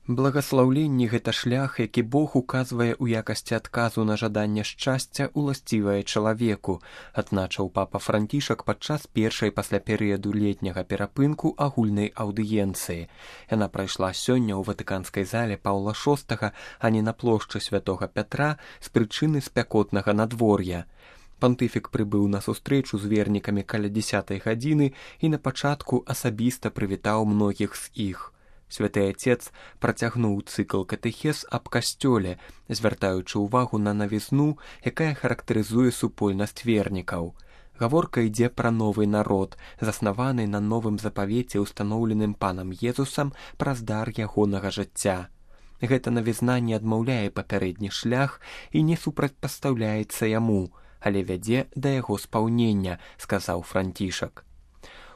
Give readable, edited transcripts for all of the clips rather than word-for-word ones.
Благаслаўленне гэта шлях, які Бог указвае ў якасці адказу на жаданне шчасця, уласцівае чалавеку, адзначыў папа Францішак падчас першай пасля перыяду летняга перапынку агульнай аўдыенцыі. Яна прайшла сёння ў ватыканскай зале Паўла VI, а не на плошчы святога Пятра з прычыны спякотнага надвор'я. Пантыфік прыбыў на сустрэчу з вернікамі каля 10 гадзіны і на пачатку асабіста прывітаў многіх з іх. Святы Отец працягнуў цыкл катэхез аб касцёле, звяртаючы ўвагу на навізну, якая характарызуе супольнасць вернікаў. Гаворка ідзе пра новы народ, заснаваны на новым запавеце, устаноўленым панам Езусам праз дар ягонага жыцця. Гэта навізна не адмаўляе папярэдні шлях і не супрацьпастаўляецца яму, але вядзе да яго спаўнення, сказаў Францішак.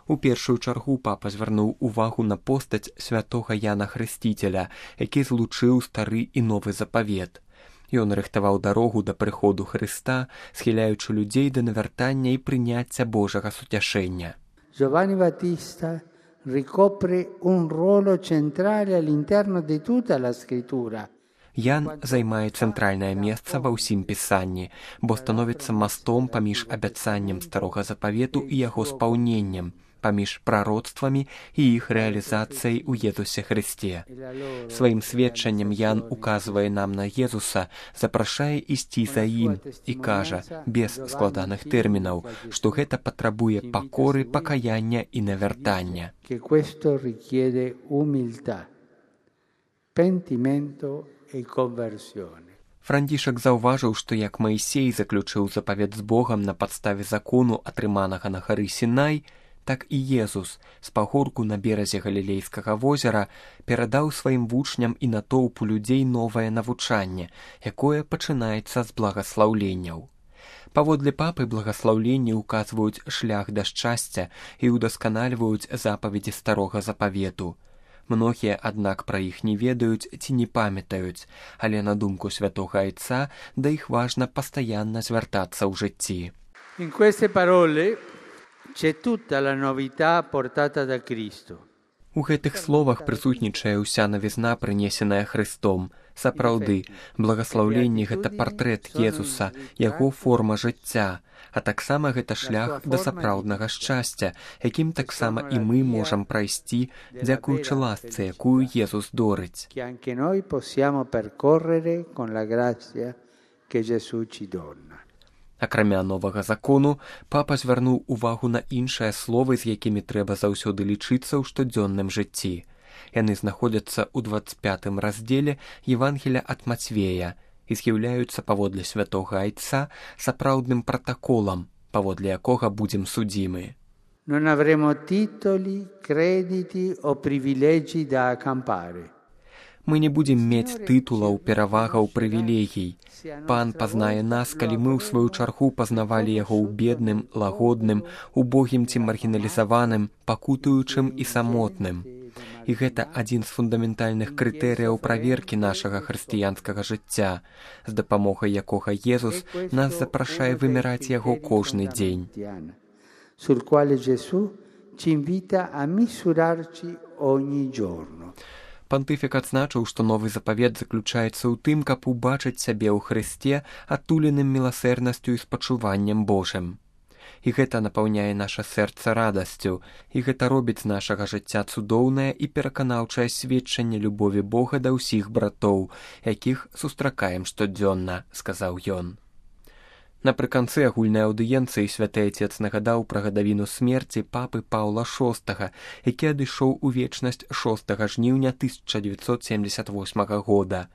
У першую чаргу папа звярнуў увагу на постаць святога Яна Хрысціцеля, які злучыў стары і новы запавет. Ён рыхтаваў дарогу да прыходу Хрыста, схіляючы людзей да навяртання і прыняцця Божага суцяшэння. Giovanni Battista ricopre un ruolo centrale all'interno di tutta la scrittura. Ян займае цэнтральнае месца ва ўсім пісанні, бо становіцца мастом паміж абяцаннем старога запавету і яго спаўненнем, паміж прароцтвамі і іх рэалізацыяй у Езусе Хрысце. Сваім сведчаннем Ян указвае нам на Езуса, запрашае ісці за ім і кажа, без складаных тэрмінаў, што гэта патрабуе пакоры, пакаяння і навяртання. Францішак заўважыў, што як Маісей заключыў запавет з Богам на падставе закону, атрыманага на гары Сінай, так і Езус з пагорку на беразе Галілейскага возера перадаў сваім вучням і натоўпу людзей новае навучанне, якое пачынаецца з благаслаўленняў. Паводле папы благаслаўленні ўказваюць шлях да шчасця і ўдасканальваюць запаведзі старога запавету. Многія, аднак, пра іх не ведаюць ці не памятаюць, але на думку святога Айца да іх важна пастаянна звяртацца ў жыцці. In queste parole c'è tutta la novità portata da Cristo. У гэтых словах прысутнічае ўся навізна, прынесеная Хрыстом. Сапраўды, благаслаўленне гэта партрэт Езуса, яго форма жыцця, а таксама гэта шлях да сапраўднага шчасця, якім таксама і мы можам прайсці, дзякуючы ласцы, якую Езус дорыць. Акрамя новага закону, папа звярнуў увагу на іншыя словы, з якімі трэба заўсёды лічыцца ў штодзённым жыцці. Яны знаходзяцца ў 25 раздзеле Евангелія ад Мацвея і з'яўляюцца паводле святога Айца сапраўдным пратаколам, паводле якога будзем судзімы. Non avremo titoli, crediti o privilegi da accampare. Мы не будзем мець тытулаў, перавагаў, прывілегій. Пан пазнае нас, калі мы ў сваю чаргу пазнавалі яго ў бедным, лагодным, убогім ці маргіналізаваным, пакутуючым і самотным. І гэта адзін з фундаментальных крытэрыяў праверкі нашага хрысціянскага жыцця, з дапамогай якога Езус нас запрашае вымяраць яго кожны дзень. Sul quale Gesù ci invita a misurarci ogni giorno. Пантыфік адзначыў, што новы запавет заключаецца ў тым, каб убачыць сябе ў Хрысце адтуленым міласэрнасцю і спачуваннем Божым. І гэта напаўняе наша сэрца радасцю, і гэта робіць з нашага жыцця цудоўнае і пераканаўчае сведчанне любові Бога да ўсіх братоў, якіх сустракаем штодзённа, сказаў ён. Напрыканцы агульнай аўдыенцыі святы Отец нагадаў пра гадавіну смерці папы Паўла VI, які адышоў у вечнасць 6 жніўня 1978 года.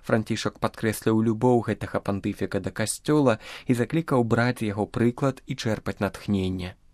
Францішак падкрэсліў любоў гэтага пантыфіка да касцёла і заклікаў браць яго прыклад і чэрпаць натхненне.